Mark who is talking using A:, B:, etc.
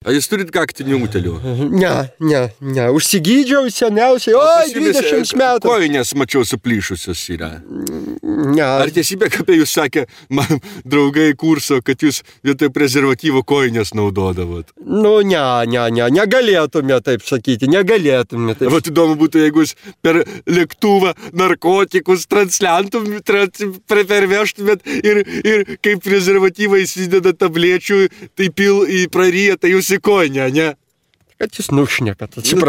A: A jūs turit kaktinių utėlių?
B: Ne. Užsigydžiau seniausiai. Oi, 20 metų.
A: Kojinės mačiau suplyšusios yra.
B: Ne.
A: Ar tiesybė, kad apie jūs sakė man draugai kurso, kad jūs vietoj prezervatyvo kojinės naudodavot?
B: Negalėtume taip sakyti, negalėtume taip.
A: Vat įdomu būtų, jeigu jūs per lėktuvą narkotikus pervežtumėt ir kaip prezervatyvą įsideda tablečių, tai praryja, tai jūs į kojinę, ne?
B: Kad jūs nušnekat, atsiprašau.